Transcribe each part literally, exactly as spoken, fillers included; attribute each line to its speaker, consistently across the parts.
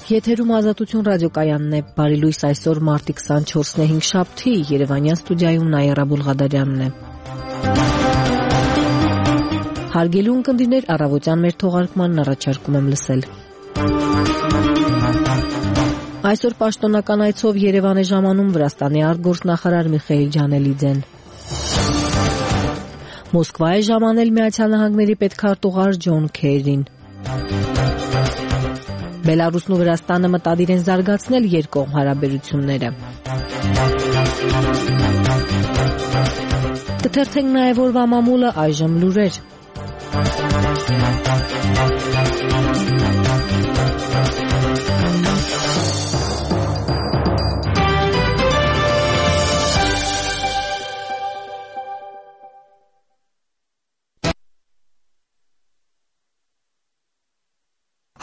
Speaker 1: Եթերում Ազատություն ռադիոկայանն է, բարի լույս, այսօր մարտի քսանչորսն է, հինգշաբթի, Երևանյան ստուդիայում Նաիրա Բուլղադարյանն է։ Հարգելի ունկնդիրներ, առավոտյան մեր թողարկմանն առաջարկում եմ լսել։ Այսօր պաշտոնական այցով Երևան է ժամանում Վրաստանի արտգործնախարար Միխայիլ Ջանելիձեն։ Մոսկվա է ժամանել Միացյալ Նահանգների պետքարտուղար Ջոն Քերին։ Բելարուսն ու Վրաստանը մտադիր են զարգացնել երկկողմ հարաբերությունները։ Կթերթենք նաև օրվա մամուլը, այժմ լուրեր։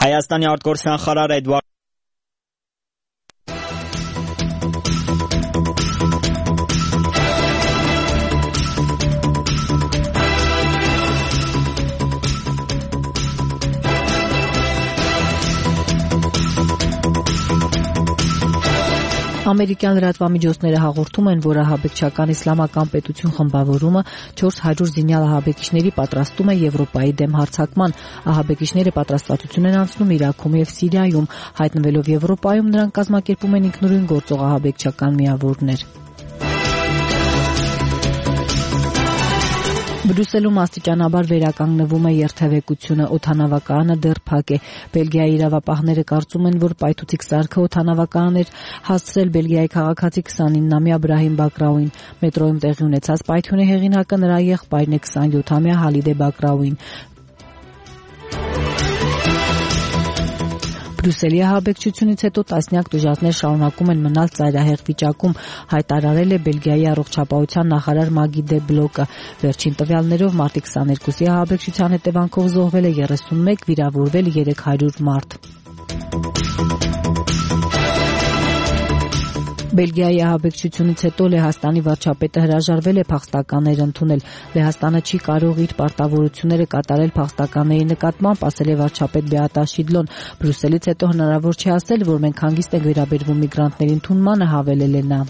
Speaker 2: Հայաստանի արտգործնախարար Էդվարդ
Speaker 1: Ամերիկյան լրատվամիջոցները հաղորդում են, որ ահաբեկչական իսլամական պետություն խմբավորումը չորս հարյուր զինյալ ահաբեկիչների պատրաստում է Եվրոպայի դեմ հարձակման։ Ահաբեկիչները պատրաստվածություն են անցնում Իրաքում եւ Սիրիայում, հայտնվելով Եվրոպայում նրանք կազմակերպում են ինքնուրույն գործող ահաբեկչական միավորներ։ Բրյուսելում աստիճանաբար վերականգնվում է երթևեկությունը, օդանավակայանը դեռ փակ է։ Բելգիայի իրավապահները կարծում են, որ պայթուցիկ սարքը օդանավակայան էր հասցրել Բելգիայի քաղաքացի քսանինամյա Բրահիմ Բակրաուին։ Մետրոյում տեղի ունեցած պայթյունի հեղինակը նրա եղբայրն է քսանյոթամյա Հալիդե Բակրաուին։ Բրյուսելի ահաբեկչությունից հետո տասնյակ տուժածներ շարունակում են մնալ ծայրահեղ վիճակում, հայտարարել է Բելգիայի առողջապահության նախարար Մագի դե Բլոկը։ Վերջին տվյալներով մարտի քսաներկուսի ահաբեկչության հետևանքով զոհվել է երեսունմեկ, վիրավորվել երեք հարյուր մարդ։ Բելգիայի ահաբեկչությունից հետո Լեհաստանի վարչապետը հրաժարվել է փախստականներ ընդունել։ Լեհաստանը չի կարող իր պարտավորությունները կատարել փախստականների նկատմամբ, ասել է վարչապետ Բեատա Շիդլոն։ Բրյուսելից հետո հնարավոր չէ ասել, որ մենք հանգիստ ենք վերաբերվում միգրանտների ընդունմանը, հավելել է նա։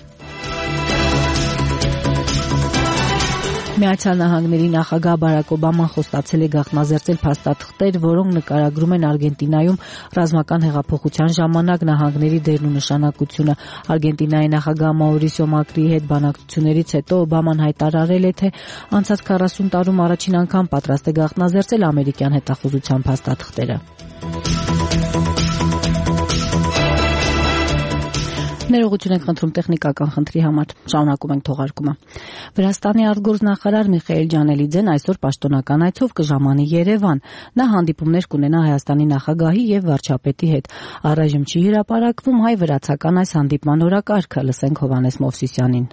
Speaker 1: Միացյալ Նահանգների նախագահ Բարակ Օբաման խոստացել է գաղտնազերծել փաստաթղթեր, որոնք նկարագրում են Արգենտինայում ռազմական հեղափոխության ժամանակ նահանգների դերն ու նշանակությունը։ Արգենտինայի նախագահ Մաուրիսիո Մակրիի հետ բանակցություններից հետո Օբաման հայտարարել է, թե անցած քառասուն տարում առաջին անգամ պատրաստ է գաղտնազերծել ամերիկյան հետախուզության փաստաթղթերը։ Ներողություն ենք խնդրում տեխնիկական խնդրի համար։ Շարունակում ենք թողարկումը։ Վրաստանի արտգործնախարար Միխայիլ Ջանելիձեն այսօր պաշտոնական այցով կժամանի Երևան։ Նա հանդիպումներ կունենա Հայաստանի նախագահի եւ վարչապետի հետ։ Առայժմ չի հրապարակվում հայ-վրացական այս հանդիպման օրակարգը, լսենք Հովհաննես Մովսիսյանին։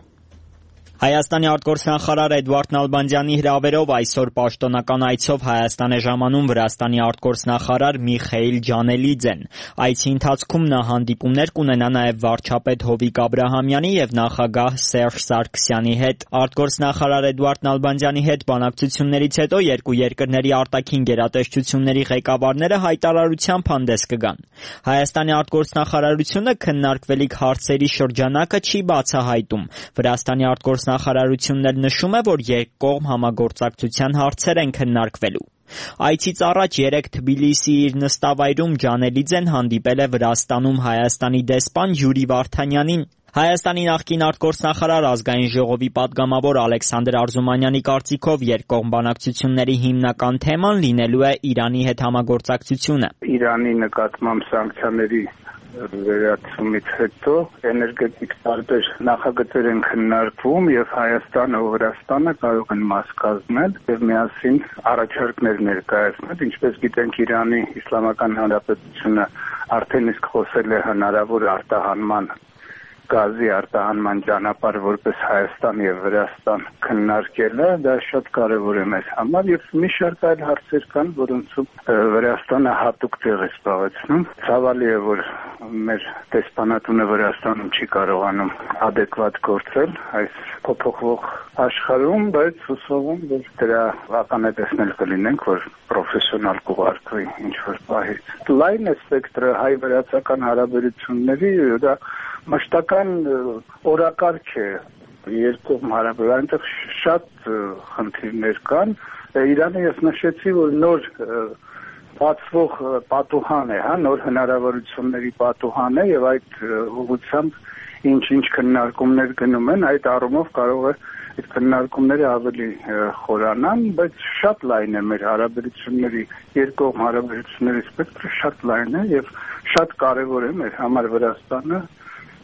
Speaker 2: Հայաստանի արտգործնախարար Էդվարդ Նալբանդյանի հրավերով այսօր պաշտոնական այցով Հայաստան է ժամանում Վրաստանի արտգործնախարար Միխայիլ Ջանելիձեն։ Այցի ընթացքում նա հանդիպումներ կունենա նաև վարչապետ Հովիկ Աբրահամյանի եւ նախագահ Սերժ Սարգսյանի հետ։ Արտգործնախարար Էդվարդ Նալբանդյանի հետ բանակցություններից հետո երկու երկրների արտաքին գերատեսչությունների ղեկավարները հայտարարությամբ հանդես կգան։ Հայաստանի արտգործնախարարությունը քննարկվելիք հարցերի շրջանակը չի բացահայտում։ Վրաստանի արտգործ Նախարարությունն նշում է, որ երկկողմ համագործակցության հարցեր են քննարկվելու։ Այցից առաջ երեկ Թբիլիսի իր նստավայրում Ջանելիձեն հանդիպել է Վրաստանում Հայաստանի դեսպան Յուրի Վարդանյանին։ Հայաստանի նախկին արտգործնախարար ազգային ժողովի պատգամավոր Ալեքսանդր Արզումանյանի կարծիքով երկկողմ բանակցությունների հիմնական թեման լինելու է Իրանի հետ համագործակցությունը։
Speaker 3: Իրանի նկատմամբ սանկցիաների վերացումից հետո էներգետիկ տարբեր նախագծեր են քննարկվում եւ Հայաստանը ու Վրաստանը կարող են մաս կազմել եւ միասին առաջարկներ ներկայացնել։ Ինչպես գիտենք, Իրանի Իսլամական Հանրապետությունը արդեն իսկ խոսել է հնարավոր արտահանման գազի արտահանման ճանապարհ որպես Հայաստան եւ Վրաստան քննարկելը դա շատ կարեւոր է մեզ համար եւ մի շարք այլ հարցեր կան, որոնցում Վրաստանը հատուկ տեղ է զբաղեցնում։ Ցավալի է, որ մեր դեսպանատունը Վրաստանում չի կարողանում adekvat գործել այս փոփոխվող աշխարհում, բայց հուսով եմ, որ դրա ականատեսներ կլինենք, որ պրոֆեսիոնալ կուղարկվի ինչ-որ պահից։ Լայն է սպեկտրը հայ-վրացական հարաբերությունների, դա մշտական օրակարգ է երկու հարաբերությունների, այնտեղ շատ խնդիրներ կան։ Իրանը ես նշեցի, որ նոր բացվող պատուհան է, հա, նոր հնարավորությունների պատուհան է եւ այդ ուղղությամբ ինչ-ինչ քննարկումներ գնում են, այդ առումով կարող է այդ քննարկումները ավելի խորանան, բայց շատ լայն է մեր հարաբերությունների, երկկողմ հարաբերությունների սպեկտրը շատ լայն է եւ շատ կարեւոր է մեր համար Վրաստանը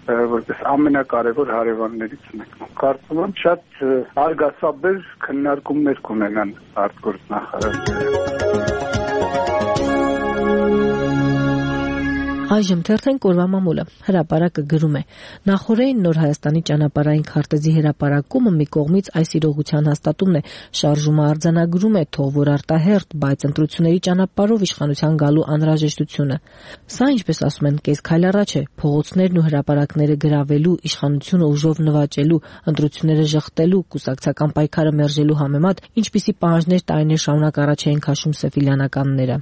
Speaker 3: որպես ամենակարևոր հարևաններից մեկն։ Կարծում եմ շատ արգասաբեր քննարկումներ կունենան արտգործնախարարները։
Speaker 1: Այժմ թերթենք օրվա մամուլը։ Հրապարակը գրում է. Նախորդին Նոր Հայաստանի ճանապարհային քարտեզի հրապարակումը մի կողմից այս իրողության հաստատումն է, շարժումը արձանագրում է, թող որ արտահերթ, բայց ընտրությունների ճանապարհով իշխանության գալու անհրաժեշտությունը։ Սա, ինչպես ասում են, կես քայլ առաջ է, փողոցներն ու հրապարակները գրավելու, իշխանությունը ուժով նվաճելու, ընտրությունները ժխտելու, կուսակցական պայքարը մերժելու համեմատ, ինչպիսի պահանջներ տարիներ շարունակ առաջ էին քաշում սեֆիլյանականները։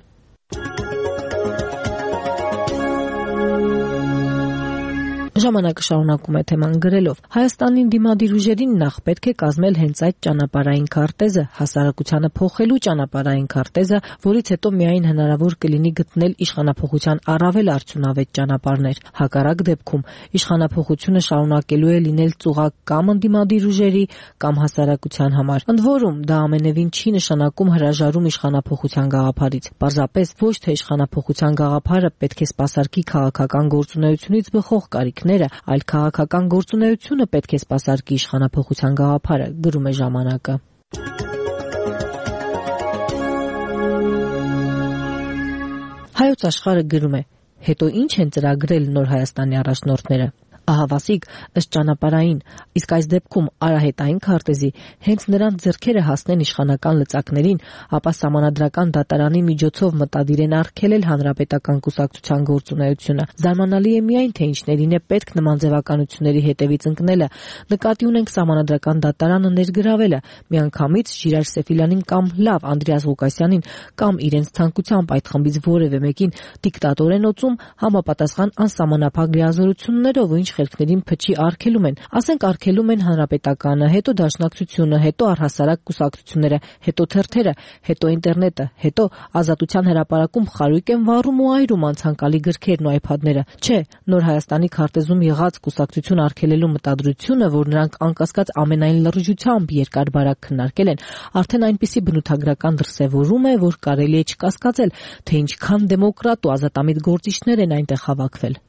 Speaker 1: Ժամանակը շարունակում է թեման գրելով. Հայաստանին դիմադիր ուժերին նախ պետք է կազմել հենց այդ ճանապարհային քարտեզը, հասարակությանը փոխելու ճանապարհային քարտեզը, որից հետո միայն հնարավոր կլինի գտնել իշխանափոխության առավել արդյունավետ ճանապարհներ։ Հակառակ դեպքում իշխանափոխությունը շարունակելու է լինել ծուղակ կամ ընդդիմադիր ուժերի, կամ հասարակության համար։ Ընդ որում, դա ամենևին չի նշանակում հրաժարում իշխանափոխության գաղափարից։ Պարզապես ոչ թե իշխանափոխության գաղափարը պետք է սպասարկի քաղաքական գործունեությունից բխող կարիք, այլ քաղաքական գործունեությունը պետք է սպասարկի իշխանափոխության գաղափարը, գրում է ժամանակը։ Հայոց աշխարհը գրում է. Հետո ինչ են ծրագրել Նոր Հայաստանի առաջնորդները։ Ահավասիկ ըստ ճանապարհային, իսկ այս դեպքում արահետային քարտեզի հենց նրանց ձեռքերը հասնեն իշխանական լծակներին, ապա սահմանադրական դատարանի միջոցով մտադիր են արգելել հանրապետական կուսակցության գործունեությունը։ Զարմանալի է միայն, թե ինչներին է պետք նման ձևականությունների հետևից ընկնելը։ Նկատի ունենք սահմանադրական դատարանը ներգրավելը, միանգամից Ժիրայր Սեֆիլյանին կամ լավ Անդրեաս Ղուկասյանին կամ իրենց ցանկությամբ այդ խմբից որևէ մեկին դիկտատոր են օծում համապատասխան անսահմանափակ լիազորություններով ու ինչ խելքներին փչի արգելում են, ասենք արգելում են հանրապետականը, հետո դաշնակցությունը, հետո առհասարակ կուսակցությունները, հետո թերթերը, հետո ինտերնետը, հետո Ազատության հրապարակում խարույկ են վառում ու այրում անցանկալի գրքերն ու այփադները։ Չէ, Նոր Հայաստանի քարտեզում եղած կուսակցություն արգելելու մտադրությունը, որ նրանք անկասկած ամենայն լրջությամբ երկար բարակ քննարկել են, արդեն այնպիսի բնութագրական դրսևորում է, որ կարելի է չկասկածել, թե ինչքան դեմոկրատ ու ազատամիտ գործիչներ են այնտեղ հավաքվել։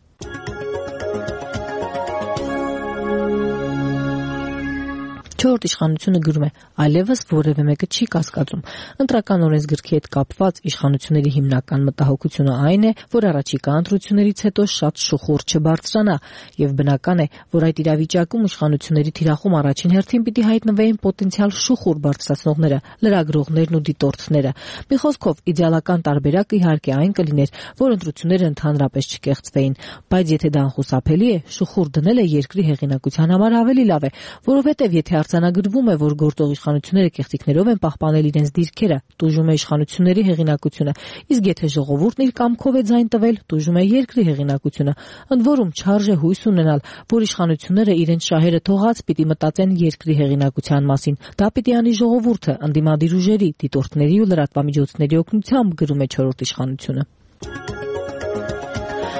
Speaker 1: Չորրորդ իշխանությունը գրում է. այլևս որևէ մեկը չի կասկածում։ Ընտրական օրենսգրքի հետ կապված իշխանությունների հիմնական մտահոգությունը այն է, որ առաջիկա ընտրություններից հետո շատ շուխուր չբարձրանա, եւ բնական է, որ այդ իրավիճակում իշխանությունների թիրախում առաջին հերթին պիտի հայտնվեին պոտենցիալ շուխուր բարձրացնողները, լրագրողներն ու դիտորդները։ Մի խոսքով, իդեալական տարբերակը իհարկե այն կլիներ, որ ընտրությունները ընդհանրապես չկեղծվեին, բայց եթե դա անխուսափելի է, շուխուր դնելը երկրի հեղինակության համար ավելի լավ է, որովհետեւ եթե արձանագրվում է, որ գործող իշխանությունները կեղծիքներով են պահպանել իրենց դիրքերը, տուժում է իշխանությունների հեղինակությունը, իսկ եթե ժողովուրդն իր կամքով է ձայն տվել, տուժում է երկրի հեղինակությունը։ Ընդ որում չարժե հույս ունենալ, որ իշխանությունները իրենց շահերը թողած պիտի մտածեն երկրի հեղինակության մասին։ Դա պիտի անի ժողովուրդը, ընդդիմադիր ուժերի, դիտորդների ու լրատվամիջոցների օգնությամբ, գրում է չորրորդ իշխանությունը։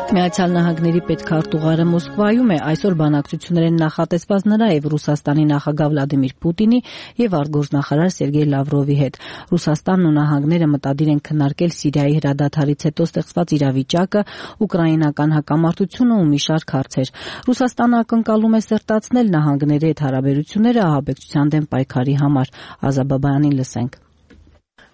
Speaker 1: Միացյալ Նահանգների պետքարտուղարը Մոսկվայում է, այսօր բանակցություններ են նախատեսված նրա եւ Ռուսաստանի նախագահ Վլադիմիր Պուտինի եւ արտգործնախարար Սերգեյ Լավրովի հետ։ Ռուսաստանն ու նահանգները մտադիր են քննարկել Սիրիայի հրադադարից հետո ստեղծված իրավիճակը, ուկրաինական հակամարտությունը ու մի շարք հարցեր։ Ռուսաստանը ակնկալում է սերտացնել նահանգների հետ հարաբերությունները ահաբեկչության դեմ պայքարի համար։ Ազաբաբյանին լսենք։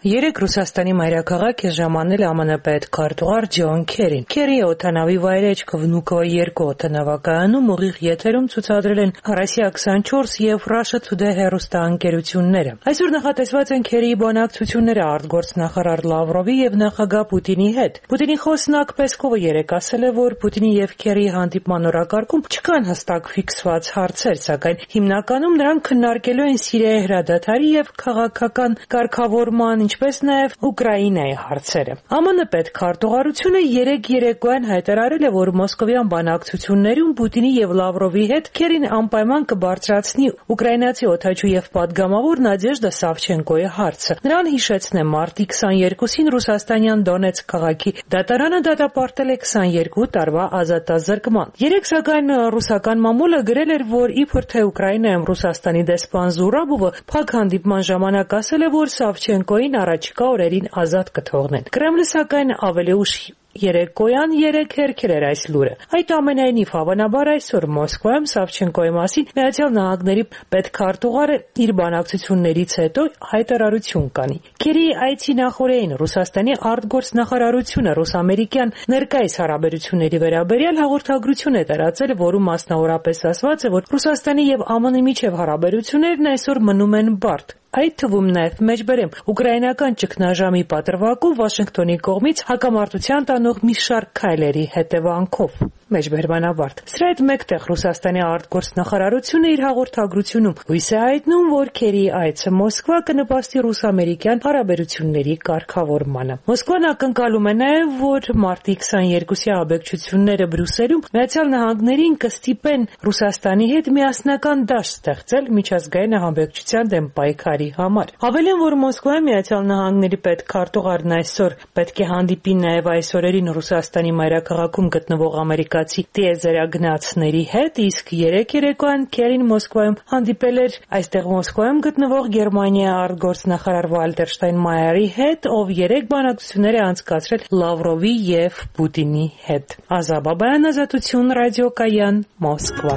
Speaker 4: Երեք Ռուսաստանի մայրաքաղաք է ժամանել ԱՄՆ պետքարտուղար Ջոն Քերին։ Քերիի օդանավի վայրեջք Վնուկովо երկու օդանավակայանում ուղիղ եթերում ցուցադրել են Россия twenty-four եւ Russia Today հեռուստաընկերությունները։ Այսօր նախատեսված են Քերիի բանակցությունները արտգործնախարար Լավրովի եւ նախագահ Պուտինի հետ։ Պուտինի խոսնակ Պեսկովը երեկ ասել է, որ Պուտինի եւ Քերիի հանդիպման օրակարգում չկան հստակ ֆիքսված հարցեր, սակայն հիմնականում նրանք քննարկելու են Սիրիայի հրադադարի եւ քաղաքական կարգավորման, ինչպես նաև Ուկրաինայի հարցերը։ ԱՄՆ պետքարտուղարությունը երեք երեկոյան հայտարարել է, որ մոսկովյան բանակցություններում Պուտինի եւ Լավրովի հետ Քերին անպայման կբարձրացնի ուկրաինացի օդաչու եւ պատգամավոր Նադեժդա Սավչենկոյի հարցը։ Նրան հիշեցնեմ, մարտի twenty-second-ին ռուսաստանյան Դոնեցկ քաղաքի դատարանը դատապարտել է twenty-two տարվա ազատազրկման։ Երեք սակայն ռուսական մամուլը գրել էր, որ իբր թե Ուկրաինայում Ռուսաստանի դեսպան Զուրաբովը փակ հանդիպման ժամանակ ասել է, որ Սավչենկոյին առաջիկա օրերին ազատ կթողնեն։ Կրեմլը սակայն ավելի ուշ երեկոյան երեք հերքել էր այս լուրը։ Այդ ամենայնիվ հավանաբար այսօր Մոսկվայում Սավչենկոյի մասին Միացյալ Նահանգների պետքարտուղարը իր բանակցություններից հետո հայտարարություն կանի։ Քերիի այցի նախօրեին Ռուսաստանի արտգործնախարարությունը ռուս-ամերիկյան ներկայիս հարաբերությունների վերաբերյալ հաղորդագրություն է տարածել, որում մասնավորապես ասված է, որ Ռուսաստանի եւ ԱՄՆ-ի միջև հարաբերություններն այսօր մնում են բարդ։ Այդ թվում նաև մեջբերեմ ուկրաինական ճգնաժամի պատրվակով Վաշինգտոնի կողմից հակամարտության տանող մի շարք քայլերի հետևանքով։ Մեջբերմանավարտ։ Սրա հետ մեկտեղ Ռուսաստանի արտգործնախարարությունը իր հաղորդագրությունում հույս է հայտնում, որ Քերիի այցը Մոսկվա կնպաստի ռուս-ամերիկյան հարաբերությունների կարգավորմանը։ Մոսկվան ակնկալում է նաև, որ մարտի twenty-second-ի աբեկչությունները Բրյուսելում Միացյալ Նահանգներին կստիպեն Ռուսաստանի հետ միասնական դաշտ ստեղծել միջազգային ահաբեկչության դեմ պայքարի համար։ Ավելին, որ Մոսկվայում Միացյալ Նահանգների պետքարտուղարն այսօր պետք է հանդիպի նաև այս օրերին Ռուսաստանի մայրաքաղաքում գտնվող ամերիկացի տիեզերագնացների հետ, իսկ երեք երեկոյան Քերին Մոսկվայում հանդիպել էր այստեղ Մոսկվայում գտնվող Գերմանիայի արտգործնախարար Վալտեր Շտայնմայերի հետ, ով երեք բանակցություններ է անցկացրել Լավրովի եւ Պուտինի հետ։ Ազա Բաբայան, Ազատություն, ռադիոկայան, Մոսկվա։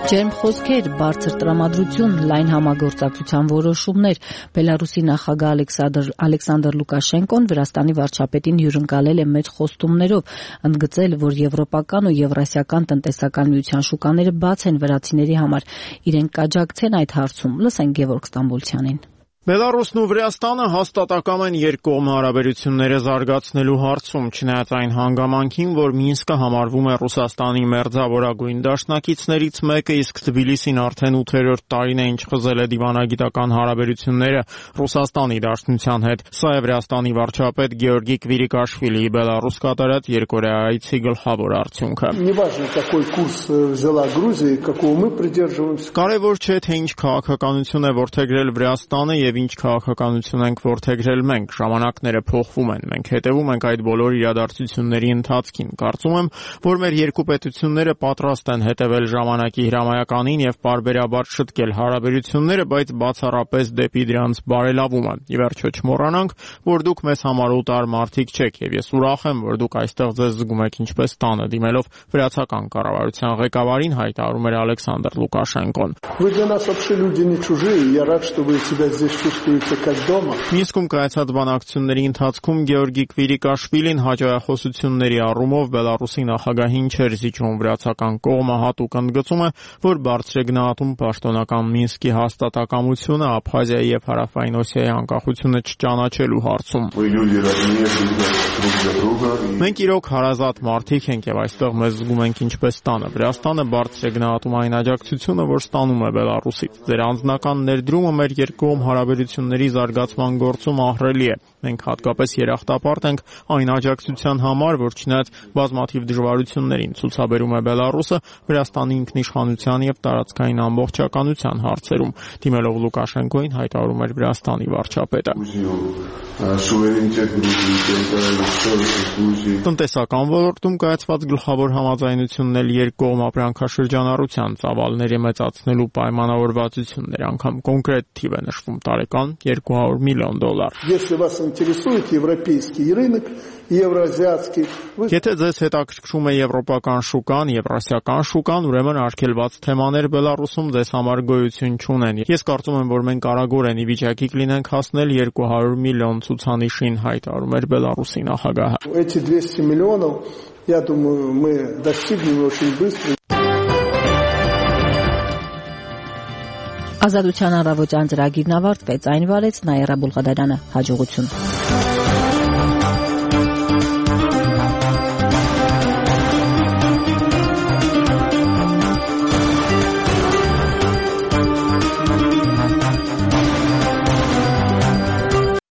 Speaker 1: Ջերմ խոսքեր, բարձր տրամադրություն, լայն համագործակցության որոշումներ։ Բելարուսի նախագահ Ալեքսանդր Ալեքսանդր Լուկաշենկոն Վրաստանի վարչապետին հյուրընկալել է մեծ խոստումներով, ընդգծել, որ եվրոպական ու եվրասիական տնտեսական միության շուկաները բաց են վրացիների համար։ Իրենք կաջակցեն այդ հարցում։ Լսենք Գևորգ Ստամբոլցյանին։
Speaker 5: Բելարուսն ու Վրաստանը հաստատակամ են երկկողմ հարաբերությունները զարգացնելու հարցում, չնայած այն հանգամանքին, որ Մինսկը համարվում է Ռուսաստանի մերձավորագույն դաշնակիցներից մեկը, իսկ Թբիլիսին արդեն ութերորդ տարին է ինչ խզել է դիվանագիտական հարաբերությունները Ռուսաստանի Դաշնության հետ։ Սա է Վրաստանի վարչապետ Գեորգի Կվիրիկաշվիլիի Բելարուս կատարած երկօրյա այցի գլխավոր արդյունքը։ Կարևոր չէ, թե ինչ քաղաքականություն է որդեգրել Վրաստանը եւ ինչ քաղաքականություն ենք որդեգրել մենք, ժամանակները փոխվում են, մենք հետևում ենք այդ բոլոր իրադարձությունների ընթացքին։ Կարծում եմ, որ մեր երկու պետությունները պատրաստ են հետևել ժամանակի հրամայականին եւ պարբերաբար շտկել հարաբերությունները, բայց բացառապես դեպի դրանց բարելավումը։ Ի վերջո չմոռանանք, որ դուք մեզ համար օտար մարդիկ չեք եւ ես ուրախ եմ, որ դուք այստեղ ձեզ զգում եք ինչպես տանը, դիմելով վրացական կառավարության ղեկավարին, հայտարարում էր Ալեքսանդր Լուկաշենկոն։ Մինսկում կայացած բանակցությունների ընթացքում Գեորգի Կվիրիկաշվիլին հաջողությունների առումով Բելարուսի նախագահին չէր զիջում, վրացական կողմը հատուկ ընդգծում է, որ բարձր է գնահատում պաշտոնական Մինսկի հաստատակամությունը Աբխազիայի եւ Հարավային Օսիայի անկախությունը չճանաչելու հարցում։ Մենք իրոք հարազատ մարդիկ ենք եւ այստեղ մեզ զգում ենք ինչպես տանը։ Վրաստանը բարձր է գնահատում այն աջակցությունը, որ ստանում է Բելարուսից։ Ձեր անձնական ներդրումը մեր երկկողմ հարաբերությունների զարգացման գործում ահռելի է։ Մենք հատկապես երախտապարտ ենք այն աջակցության համար, որ չնայած բազմաթիվ դժվարություններին ցուցաբերում է Բելարուսը Վրաստանի ինքնիշխանության եւ տարածքային ամբողջականության հարցերում։ Դիմելով Լուկաշենկոին հայտարարում էր Վրաստանի վարչապետը։ Տնտեսական ոլորտում կայացված գլխավոր համաձայնությունն էլ երկկողմ ապրանքաշրջանառության ծավալների մեծացնելու պայմանավորվածություններ, անգամ կոնկրետ թիվ է նշվում տարեկան տարեկան երկու հարյուր միլիոն դոլար։
Speaker 6: Если вас интересует европейский рынок, евроазиатский,
Speaker 5: Եթե ձեզ հետաքրքրում է եվրոպական շուկան, եվրասիական շուկան, ուրեմն արգելված թեմաներ Բելարուսում ձեզ համար գոյություն չունեն։ Ես կարծում եմ, որ մենք կարագորեն ի վիճակի կլինենք հասնել երկու հարյուր միլիոն ցուցանիշին, հայտարարում էր Բելարուսի նախագահը։
Speaker 6: Эти двести миллионов, я думаю, мы достигнем очень быстро.
Speaker 1: Ազատության առավոտյան ծրագիրն ավարտվեց, այն վարեց Նաիրա Բուլղադարյանը, հաջողություն։